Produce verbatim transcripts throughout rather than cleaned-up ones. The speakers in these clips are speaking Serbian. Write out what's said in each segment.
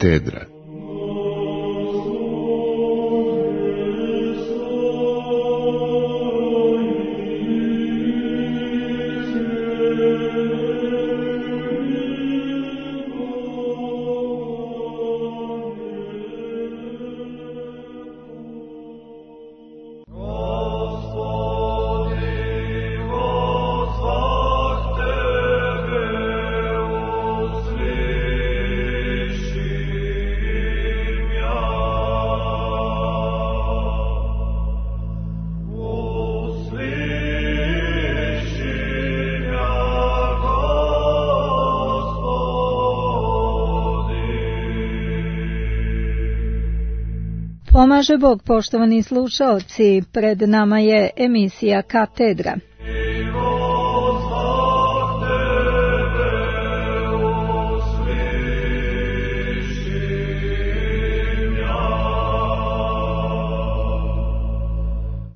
Katedra. Pomaže Bog, poštovani slušaoci, pred nama je emisija Katedra.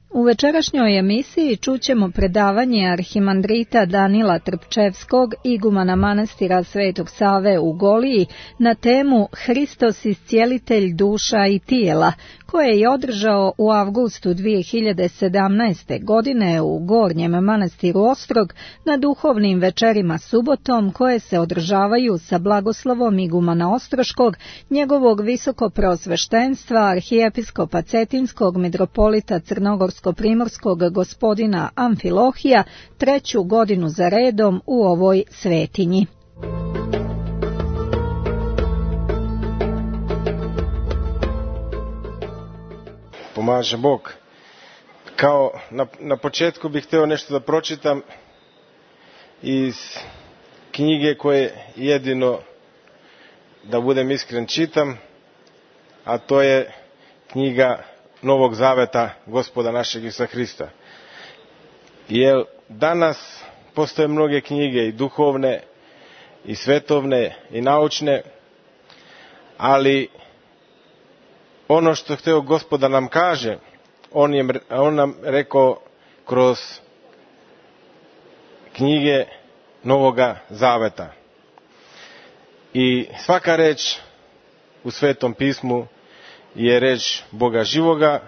U večerašnjoj emisiji čućemo predavanje arhimandrita Danila Trpčevskog, igumana manastira Svetog Save u Goliji, na temu Hristos iscijelitelj duša i tijela, koje je održao u avgustu dvije hiljade sedamnaeste. godine u Gornjem manastiru Ostrog na duhovnim večerima subotom, koje se održavaju sa blagoslovom igumana Ostroškog, njegovog visokopreosveštenstva arhijepiskopa Cetinskog mitropolita Crnogorsko-primorskog gospodina Amfilohija, treću godinu za redom u ovoj svetinji. Pomaže Bog. Kao na, na početku bih htio nešto da pročitam iz knjige koje jedino, da budem iskren, čitam, a to je knjiga Novog Zaveta Gospoda našeg Isusa Hrista. Jer danas postoje mnoge knjige, i duhovne, i svetovne, i naučne, ali ono što hteo Gospod nam kaže, on, je, on nam rekao kroz knjige Novoga Zaveta. I svaka reč u Svetom pismu je reč Boga živoga,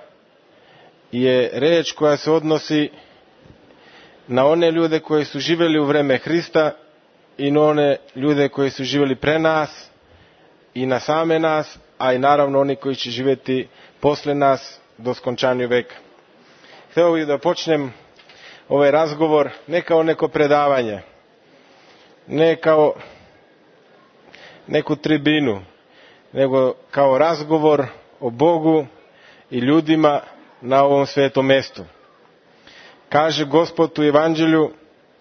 je reč koja se odnosi na one ljude koji su živjeli u vreme Hrista i na one ljude koji su živjeli pre nas i na same nas, a i naravno oni koji će živjeti posle nas do skončanja veka. Hteo bih da počnem ovaj razgovor ne kao neko predavanje, ne kao neku tribinu, nego kao razgovor o Bogu i ljudima na ovom svetom mestu. Kaže Gospod u Evanđelju: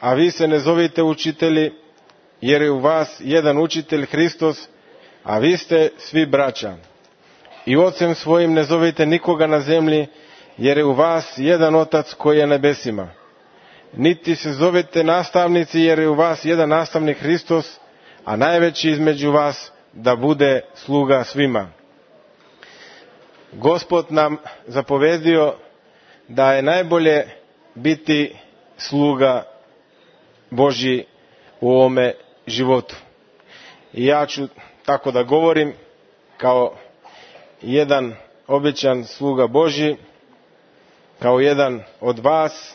a vi se ne zovite učitelji, jer je u vas jedan učitelj Hristos, a vi ste svi braća. I ocem svojim ne zovite nikoga na zemlji, jer je u vas jedan otac koji je na nebesima. Niti se zovete nastavnici, jer je u vas jedan nastavnik Hristos, a najveći između vas da bude sluga svima. Gospod nam zapovedio da je najbolje biti sluga Božji u ovome životu. I ja ću tako da govorim kao jedan običan sluga Božji, kao jedan od vas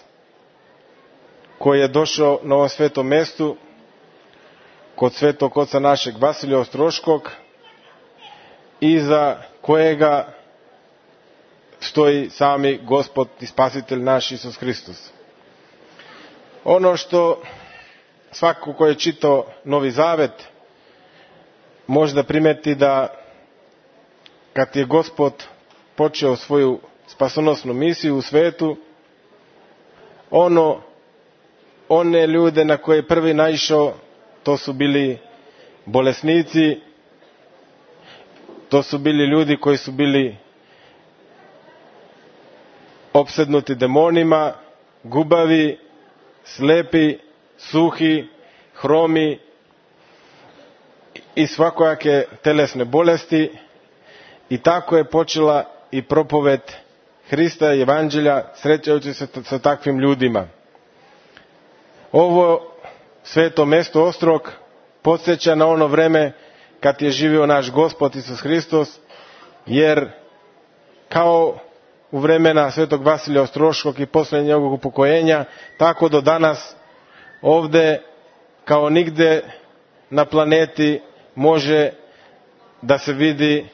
koji je došao na ovom svetom mestu kod svetog oca našeg Vasilija Ostroškog, iza kojega stoji sami Gospod i Spasitelj naš Isus Hristos. Ono što svako ko je čitao Novi Zavet može da primeti, da kad je Gospod počeo svoju spasonosnu misiju u svetu, ono, one ljude na koje je prvi naišao, to su bili bolesnici, to su bili ljudi koji su bili opsednuti demonima, gubavi, slepi, suhi, hromi i svakojake telesne bolesti. I tako je počela i propovet Hrista i Evanđelja, srećajući se sa takvim ljudima. Ovo sveto mesto Ostrog podsjeća na ono vreme kad je živio naš Gospod Isus Hristos, jer kao u vremena svetog Vasilija Ostroškog i poslije njegovog upokojenja, tako do danas ovdje kao nigde na planeti može da se vidi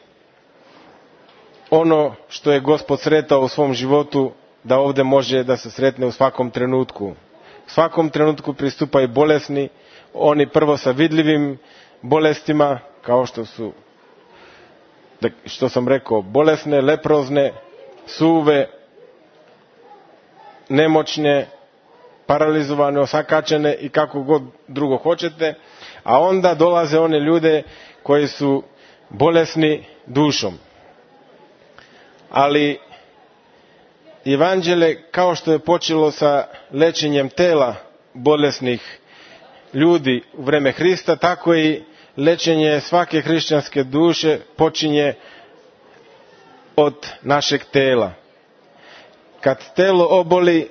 ono što je Gospod sretao u svom životu, da ovdje može da se sretne u svakom trenutku. U svakom trenutku pristupaju bolesni, oni prvo sa vidljivim bolestima, kao što su, što sam rekao, bolesne, leprozne, suve, nemoćne, paralizovane, osakačene i kako god drugo hoćete, a onda dolaze one ljude koji su bolesni dušom. Ali evanđelje, kao što je počelo sa lečenjem tela bolesnih ljudi u vreme Hrista, tako i lečenje svake hrišćanske duše počinje od našeg tela. Kad telo oboli,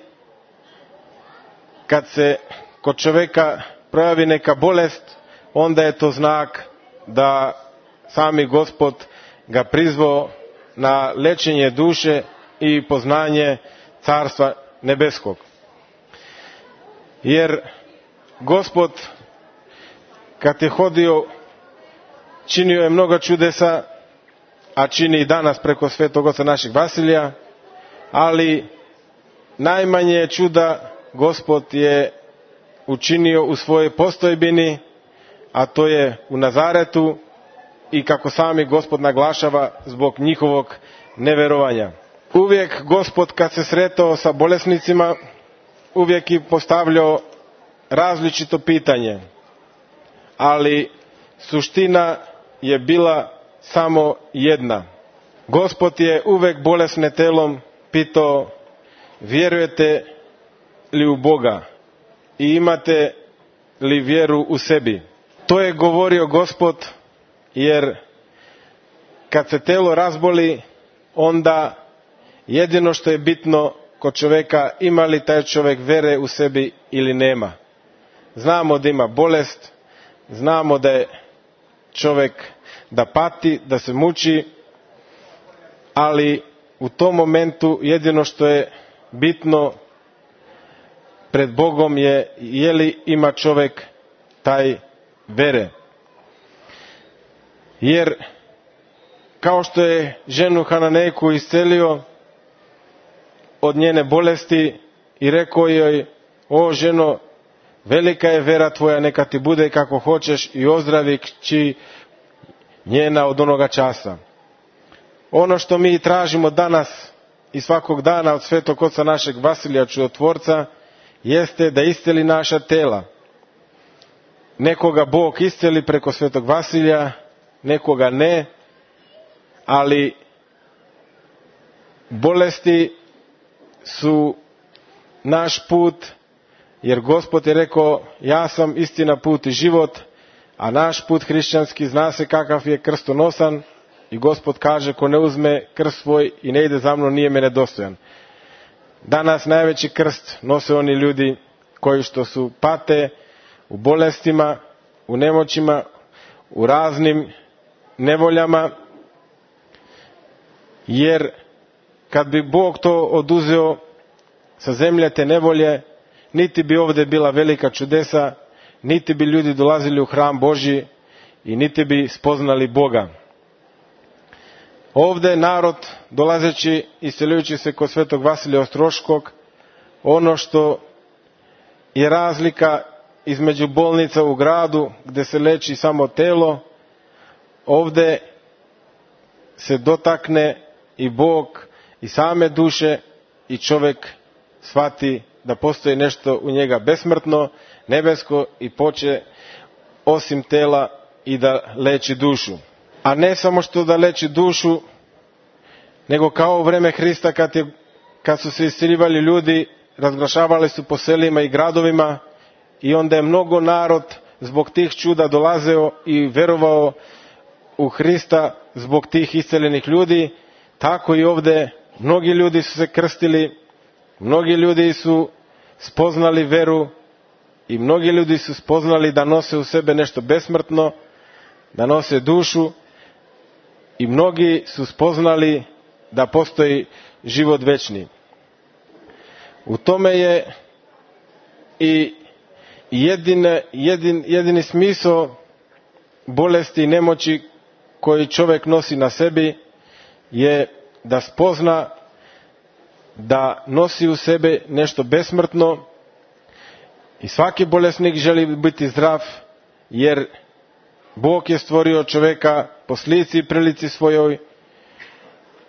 kad se kod čovjeka projavi neka bolest, onda je to znak da sami Gospod ga prizvao na lečenje duše i poznanje Carstva nebeskog. Jer Gospod, kad je hodio, činio je mnogo čudesa, a čini i danas preko svetog oca našeg Vasilija, ali najmanje čuda Gospod je učinio u svojoj postojbini, a to je u Nazaretu, i kako sami Gospod naglašava, zbog njihovog neverovanja. Uvijek Gospod, kad se sretao sa bolesnicima, uvijek je postavljao različito pitanje, ali suština je bila samo jedna. Gospod je uvijek bolesne telom pitao: vjerujete li u Boga i imate li vjeru u sebi? To je govorio Gospod, jer kad se telo razboli, onda jedino što je bitno kod čovjeka, ima li taj čovjek vere u sebi ili nema. Znamo da ima bolest, znamo da je čovjek da pati, da se muči, ali u tom momentu jedino što je bitno pred Bogom je je li ima čovjek taj vere. Jer kao što je ženu Hananejku iscelio od njene bolesti i rekao joj: o ženo, velika je vera tvoja, neka ti bude kako hoćeš, i ozdravi kći njena od onoga časa. Ono što mi tražimo danas i svakog dana od svetog oca našeg Vasilija Čudotvorca jeste da isceli naša tela. Nekoga Bog isceli preko svetog Vasilija, nekoga ne, ali bolesti su naš put, jer Gospod je rekao: ja sam istina, put i život, a naš put hrišćanski zna se kakav je, krstonosan, i Gospod kaže: ko ne uzme krst svoj i ne ide za mnom, nije mene dostojan. Danas najveći krst nose oni ljudi koji što su pate u bolestima, u nemoćima, u raznim nevoljama, jer kad bi Bog to oduzeo sa zemlje, te nevolje, niti bi ovdje bila velika čudesa, niti bi ljudi dolazili u hram Božji i niti bi spoznali Boga. Ovdje narod, dolazeći i seljujući se kod svetog Vasilija Ostroškog, ono što je razlika između bolnica u gradu gdje se leči samo telo, ovdje se dotakne i Bog i same duše, i čovjek shvati da postoji nešto u njega besmrtno, nebesko, i poče osim tela i da leči dušu. A ne samo što da leči dušu, nego kao u vreme Hrista, kad, je, kad su se isceljivali ljudi, razglašavali su po selima i gradovima, i onda je mnogo narod zbog tih čuda dolazeo i verovao u Hrista zbog tih isceljenih ljudi. Tako i ovdje mnogi ljudi su se krstili, mnogi ljudi su spoznali veru i mnogi ljudi su spoznali da nose u sebe nešto besmrtno, da nose dušu i mnogi su spoznali da postoji život večni. U tome je i jedine, jedin, jedini smisao bolesti i nemoći koji čovjek nosi na sebi je da spozna da nosi u sebi nešto besmrtno i svaki bolesnik želi biti zdrav, jer Bog je stvorio čovjeka po slici i prilici svojoj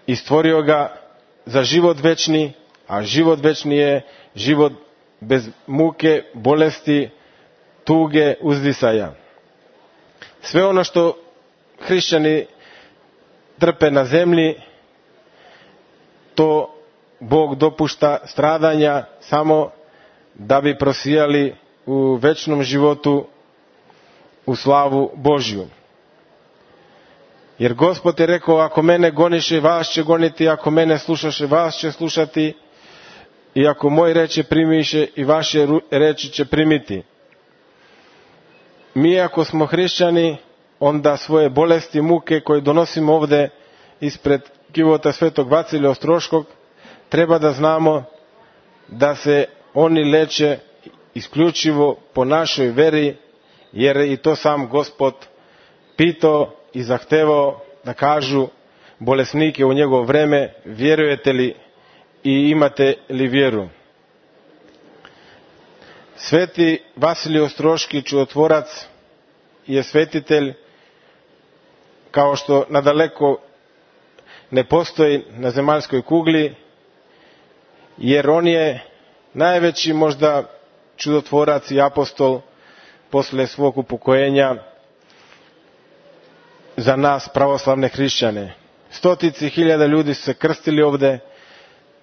i stvorio ga za život večni, a život večni je život bez muke, bolesti, tuge, uzdisaja. Sve ono što hrišćani trpe na zemlji, to Bog dopušta stradanja samo da bi prosijali u večnom životu u slavu Božju. Jer Gospod je rekao, ako mene goniše, vas će goniti, ako mene slušaše, vas će slušati, i ako moj reče primiše, i vaše reči će primiti. Mi ako smo hrišćani, onda svoje bolesti, muke koje donosimo ovdje ispred kivota svetog Vasilija Ostroškog, treba da znamo da se oni leče isključivo po našoj veri, jer i to sam Gospod pitao i zahtevao da kažu bolesnike u njegovo vreme, vjerujete li i imate li vjeru. Sveti Vasilij Ostroški čudotvorac je svetitelj kao što nadaleko ne postoji na zemaljskoj kugli, jer on je najveći možda čudotvorac i apostol posle svog upokojenja za nas pravoslavne hrišćane. Stotici hiljada ljudi su se krstili ovde,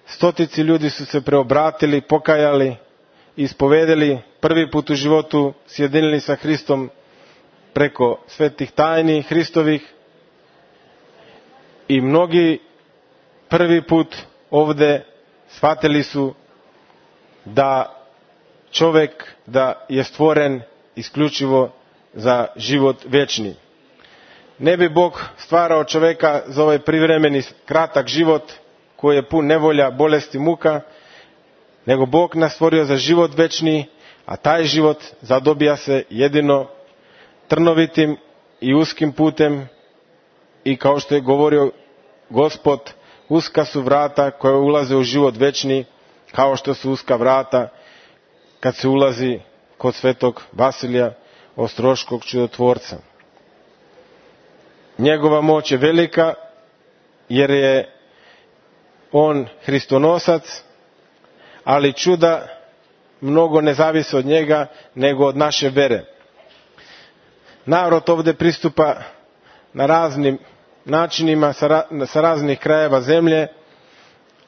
stotici ljudi su se preobratili, pokajali, ispovedeli, prvi put u životu sjedinili sa Hristom preko svetih tajni Hristovih, i mnogi prvi put ovde shvatili su da čovjek da je stvoren isključivo za život večni. Ne bi Bog stvarao čovjeka za ovaj privremeni kratak život koji je pun nevolja, bolesti, muka, nego Bog nas stvorio za život večni, a taj život zadobija se jedino trnovitim i uskim putem, i kao što je govorio Gospod, uska su vrata koja ulaze u život večni, kao što su uska vrata kad se ulazi kod svetog Vasilija Ostroškog čudotvorca. Njegova moć je velika, jer je on Hristonosac, ali čuda mnogo ne zavise od njega, nego od naše vere. Narod ovdje pristupa na raznim načinima, sa raznih krajeva zemlje,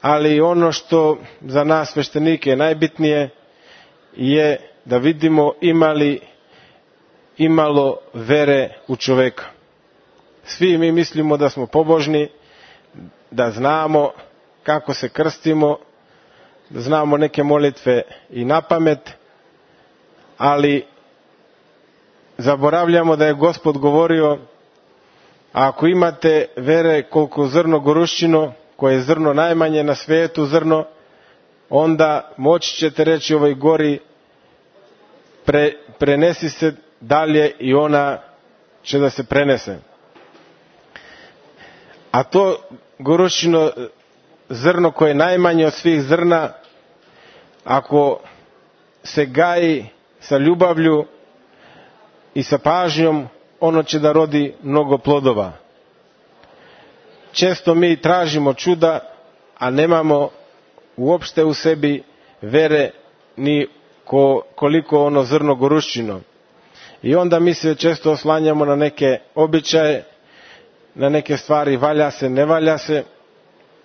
ali ono što za nas sveštenike je najbitnije je da vidimo imali imalo vere u čovjeka. Svi mi mislimo da smo pobožni, da znamo kako se krstimo, da znamo neke molitve i na pamet, ali zaboravljamo da je Gospod govorio, ako imate vere koliko zrno goruščino, koje je zrno najmanje na svijetu zrno, onda moći ćete reći ovoj gori, pre, prenesi se dalje, i ona će da se prenese. A to goruščino zrno koje je najmanje od svih zrna, ako se gaji sa ljubavlju i sa pažnjom, ono će da rodi mnogo plodova. Često mi tražimo čuda, a nemamo uopšte u sebi vere ni ko, koliko ono zrno goruščino. I onda mi se često oslanjamo na neke običaje, na neke stvari, valja se, ne valja se,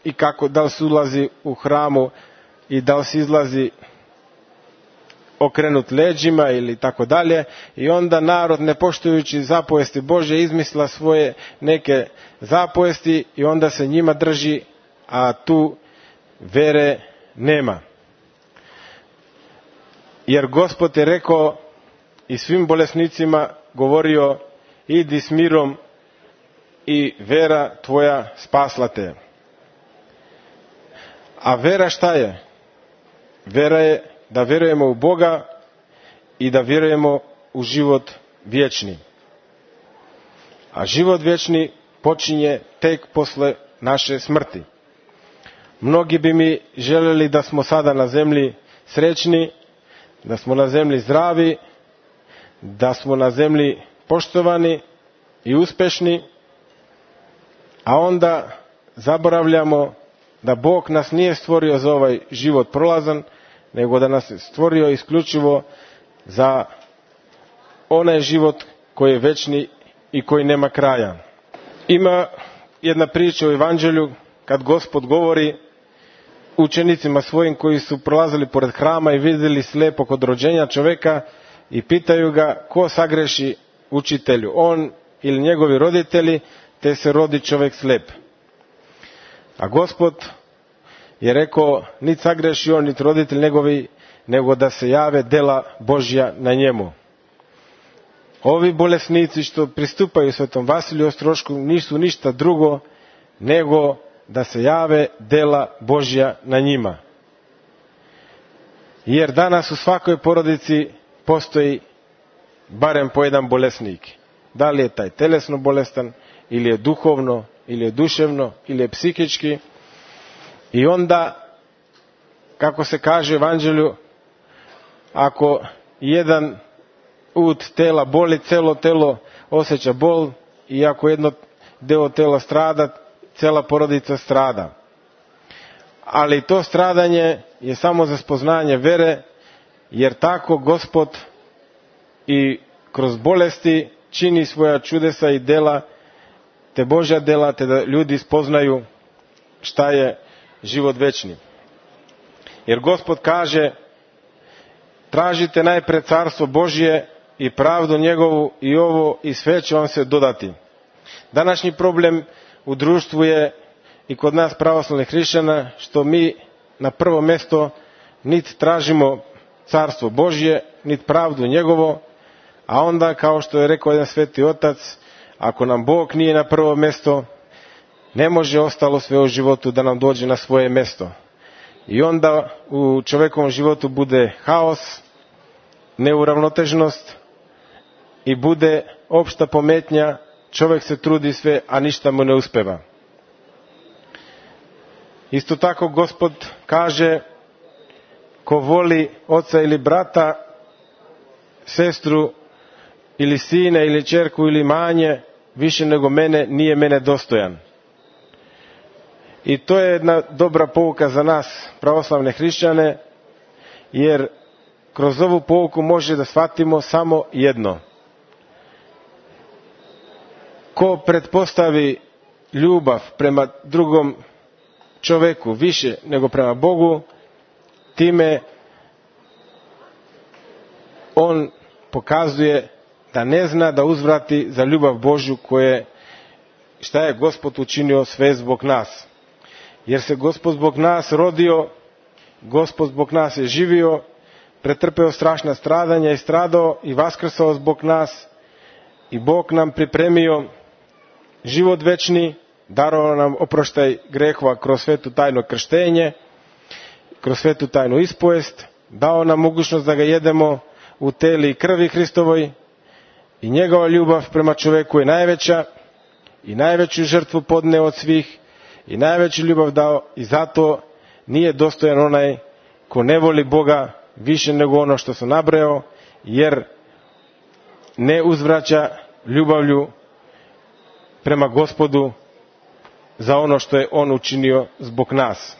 i kako, da li se ulazi u hramu i da li se izlazi okrenut leđima ili tako dalje, i onda narod, ne poštujući zapovesti Božje, izmisla svoje neke zapovesti i onda se njima drži, a tu vere nema. Jer Gospod je rekao i svim bolesnicima govorio, idi s mirom i vera tvoja spasla te. A vera šta je? Vera je da vjerujemo u Boga i da vjerujemo u život vječni. A život vječni počinje tek posle naše smrti. Mnogi bi mi željeli da smo sada na zemlji srećni, da smo na zemlji zdravi, da smo na zemlji poštovani i uspješni, a onda zaboravljamo da Bog nas nije stvorio za ovaj život prolazan, nego da nas je stvorio isključivo za onaj život koji je večni i koji nema kraja. Ima jedna priča u Evanđelju kad Gospod govori učenicima svojim koji su prolazili pored hrama i vidjeli slijepog od rođenja čovjeka i pitaju ga ko sagreši učitelju, on ili njegovi roditelji, te se rodi čovjek slijep. A Gospod je rekao, niti sagreši on, niti roditelj njegovi, nego da se jave dela Božja na njemu. Ovi bolesnici što pristupaju svetom Vasiliju Ostrošku nisu ništa drugo nego da se jave dela Božja na njima. Jer danas u svakoj porodici postoji barem po jedan bolesnik. Da li je taj telesno bolestan, ili je duhovno, ili je duševno, ili je psihički. I onda, kako se kaže u Evanđelju, ako jedan ud tela boli, celo telo osjeća bol, i ako jedno deo tela strada, cela porodica strada. Ali to stradanje je samo za spoznanje vere, jer tako Gospod i kroz bolesti čini svoja čudesa i dela, te Božja dela, te da ljudi spoznaju šta je život večni. Jer Gospod kaže, tražite najpre carstvo Božje i pravdu njegovu i ovo i sve će vam se dodati. Današnji problem u društvu je i kod nas pravoslavnih hrišćana što mi na prvo mjesto niti tražimo carstvo Božje, niti pravdu njegovo, a onda kao što je rekao jedan sveti otac, ako nam Bog nije na prvo mjesto, ne može ostalo sve u životu da nam dođe na svoje mjesto. I onda u čovjekovom životu bude haos, neuravnoteženost i bude opšta pometnja, čovjek se trudi sve, a ništa mu ne uspeva. Isto tako Gospod kaže, ko voli oca ili brata, sestru ili sine ili ćerku ili manje, više nego mene, nije mene dostojan. I to je jedna dobra pouka za nas, pravoslavne hrišćane, jer kroz ovu pouku može da shvatimo samo jedno. Ko pretpostavi ljubav prema drugom čovjeku više nego prema Bogu, time on pokazuje da ne zna da uzvrati za ljubav Božju koje, šta je Gospod učinio sve zbog nas. Jer se Gospod zbog nas rodio, Gospod zbog nas je živio, pretrpeo strašna stradanja i stradao i vaskrsao zbog nas, i Bog nam pripremio život večni, darovao nam oproštaj grehova kroz svetu tajno krštenje, kroz svetu tajnu ispovest, dao nam mogućnost da ga jedemo u teli i krvi Hristovoj, i njegova ljubav prema čovjeku je najveća i najveću žrtvu podneo od svih i najveću ljubav dao, i zato nije dostojan onaj ko ne voli Boga više nego ono što sam nabrojao, jer ne uzvraća ljubavlju prema Gospodu za ono što je on učinio zbog nas.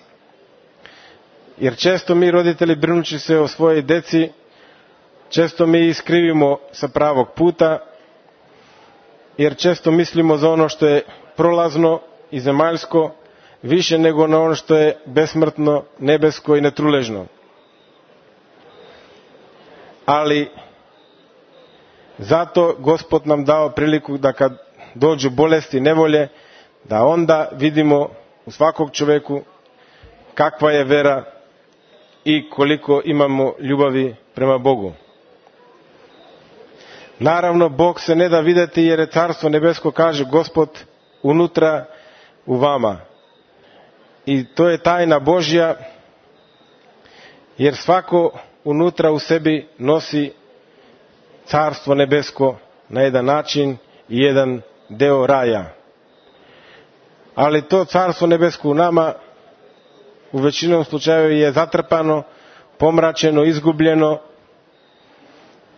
Jer često mi roditelji, brinući se o svojoj deci, često mi iskrivimo sa pravog puta, jer često mislimo za ono što je prolazno i zemaljsko više nego na ono što je besmrtno, nebesko i netruležno. Ali zato Gospod nam dao priliku da kad dođu bolesti i nevolje, da onda vidimo u svakog čovjeku kakva je vera i koliko imamo ljubavi prema Bogu. Naravno, Bog se ne da vidjeti jer je Carstvo nebesko, kaže Gospod, unutra u vama. I to je tajna Božja, jer svako unutra u sebi nosi Carstvo nebesko na jedan način i jedan deo raja. Ali to Carstvo nebesko u nama u većinom slučajeva je zatrpano, pomračeno, izgubljeno,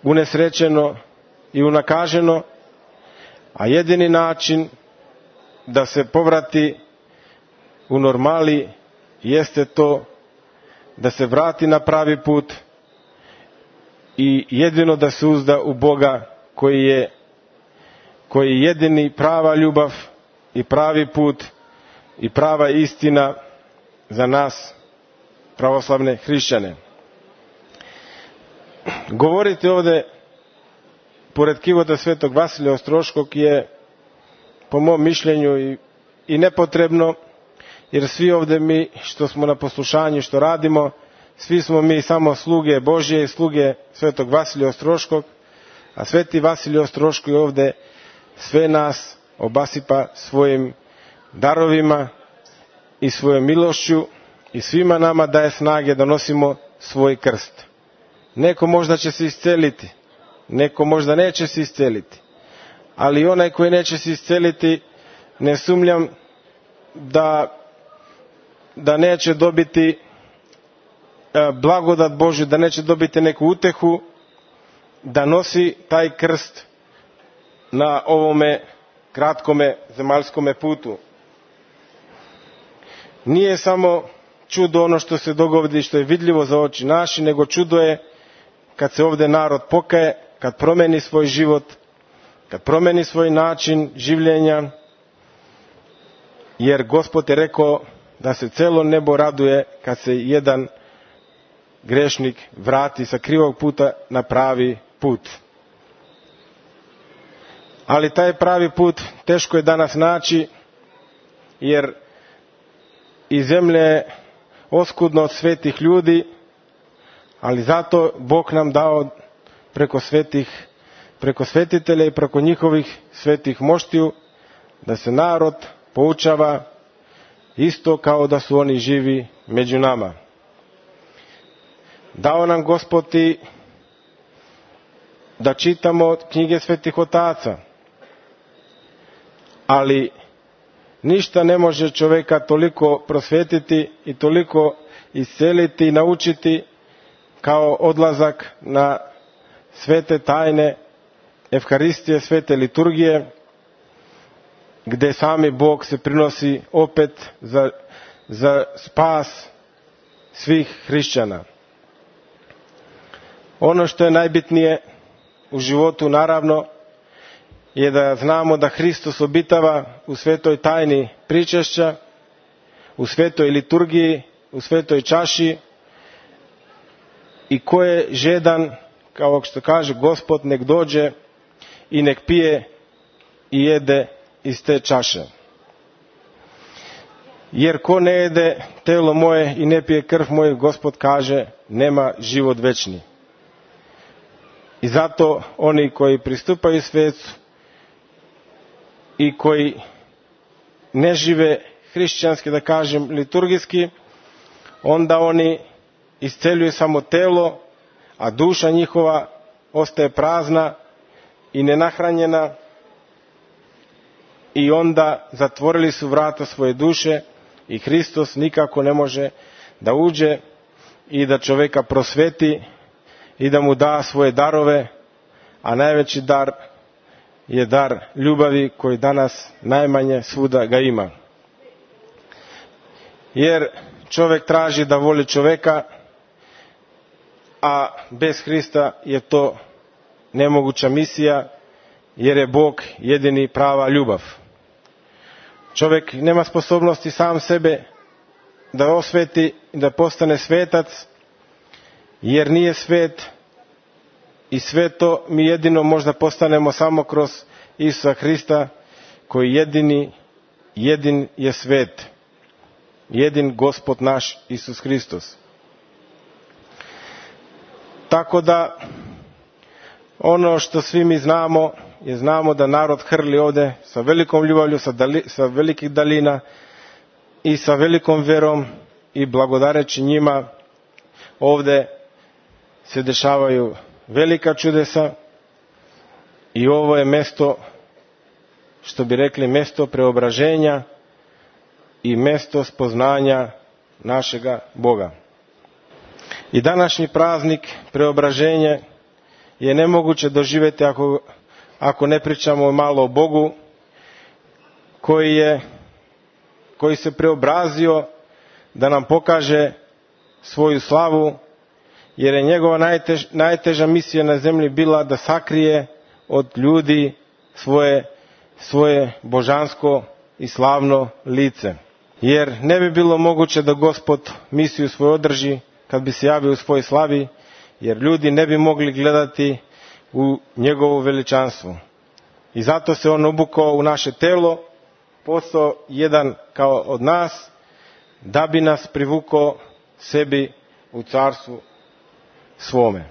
unesrećeno i unakaženo, a jedini način da se povrati u normali jeste to da se vrati na pravi put i jedino da se uzda u Boga koji je, koji je jedini prava ljubav i pravi put i prava istina za nas pravoslavne hrišćane. Govoriti ovdje pored kivota svetog Vasilija Ostroškog je po mom mišljenju i, i nepotrebno, jer svi ovdje mi što smo na poslušanju, što radimo, svi smo mi samo sluge Božje i sluge svetog Vasilija Ostroškog, a sveti Vasilij Ostroški ovdje sve nas obasipa svojim darovima i svojom milošću i svima nama daje snage da nosimo svoj krst. Neko možda će se isceliti, neko možda neće se isceliti, ali onaj koji neće se isceliti, ne sumnjam da, da neće dobiti blagodat Božju, da neće dobiti neku utehu, da nosi taj krst na ovome kratkome zemaljskome putu. Nije samo čudo ono što se dogodi, što je vidljivo za oči naši, nego čudo je kad se ovdje narod pokaje, kad promeni svoj život, kad promeni svoj način življenja, jer Gospod je rekao da se celo nebo raduje kad se jedan grešnik vrati sa krivog puta na pravi put. Ali taj pravi put teško je danas naći, jer i zemlja je oskudna od svetih ljudi, ali zato Bog nam dao preko svetih, preko svetitelja i preko njihovih svetih moštiju da se narod poučava isto kao da su oni živi među nama. Dao nam Gospod i da čitamo knjige svetih otaca, ali ništa ne može čovjeka toliko prosvetiti i toliko isceliti i naučiti kao odlazak na svete tajne Evharistije, svete liturgije, gdje sami Bog se prinosi opet za, za spas svih hrišćana. Ono što je najbitnije u životu, naravno, je da znamo da Hristos obitava u svetoj tajni pričešća, u svetoj liturgiji, u svetoj čaši, i ko je žedan, kao što kaže Gospod, nek dođe i nek pije i jede iz te čaše. Jer ko ne jede telo moje i ne pije krv moju, Gospod kaže, nema život večni. I zato oni koji pristupaju svecu i koji ne žive hrišćanski, da kažem, liturgijski, onda oni isceljuju samo telo, a duša njihova ostaje prazna i nenahranjena, i onda zatvorili su vrata svoje duše i Hristos nikako ne može da uđe i da čovjeka prosveti i da mu da svoje darove, a najveći dar je dar ljubavi koji danas najmanje svuda ga ima. Jer čovjek traži da voli čovjeka, a bez Hrista je to nemoguća misija, jer je Bog jedini prava ljubav. Čovjek nema sposobnosti sam sebe da osveti i da postane svetac, jer nije svet, i sveto mi jedino možda postanemo samo kroz Isusa Hrista, koji jedini, jedin je svet, jedin Gospod naš Isus Hristos. Tako da Ono što svi mi znamo je znamo da narod hrli ovde sa velikom ljubavlju, sa, dali, sa velikih dalina i sa velikom verom i blagodareći njima ovde se dešavaju velika čudesa i ovo je mesto, što bi rekli, mesto preobraženja i mesto spoznanja našega Boga. I današnji praznik preobraženje je nemoguće doživjeti ako, ako ne pričamo malo o Bogu koji je, koji se preobrazio da nam pokaže svoju slavu, jer je njegova najtež, najteža misija na zemlji bila da sakrije od ljudi svoje, svoje božansko i slavno lice. Jer ne bi bilo moguće da Gospod misiju svoju održi kad bi se javio u svojoj slavi, jer ljudi ne bi mogli gledati u njegovo veličanstvo. I zato se on obukao u naše telo, postao jedan kao od nas, da bi nas privukao sebi u carstvu svome.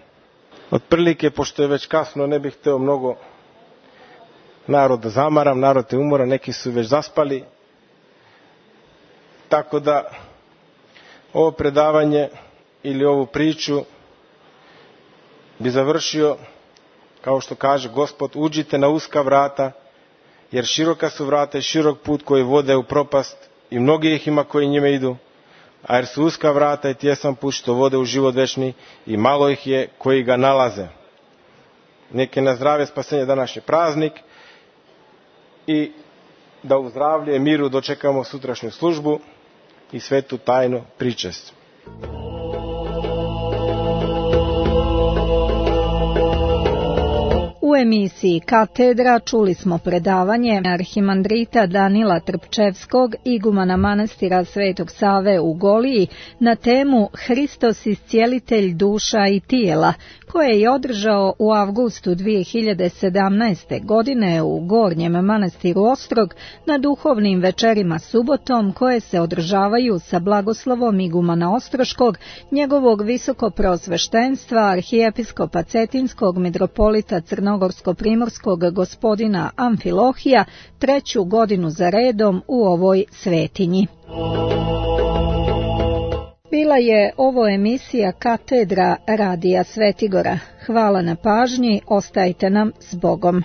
Otprilike, pošto je već kasno, ne bih hteo mnogo narod da zamaram, narod je umoran, neki su već zaspali. Tako da ovo predavanje ili ovu priču bi završio kao što kaže Gospod: uđite na uska vrata, jer široka su vrata i širok put koji vode u propast i mnogi ih ima koji njime idu, a jer su uska vrata i tjesan put što vode u život večni i malo ih je koji ga nalaze. Neke na zdravlje spasenje današnji praznik i da u zdravlje i miru dočekamo sutrašnju službu i svetu tajnu pričest. U emisiji Katedra čuli smo predavanje arhimandrita Danila Trpčevskog, igumana manastira Svetog Save u Goliji, na temu Hristos iscijelitelj duša i tijela, koje je održao u avgustu dvije hiljade sedamnaeste. godine u Gornjem manastiru Ostrog na duhovnim večerima subotom, koje se održavaju sa blagoslovom igumana Ostroškog, njegovog visokopreosveštenstva arhijepiskopa Cetinskog mitropolita Crnogorsko-primorskog gospodina Amfilohija, treću godinu za redom u ovoj svetinji. Bila je ovo emisija Katedra Radija Svetigora. Hvala na pažnji, ostajte nam s Bogom.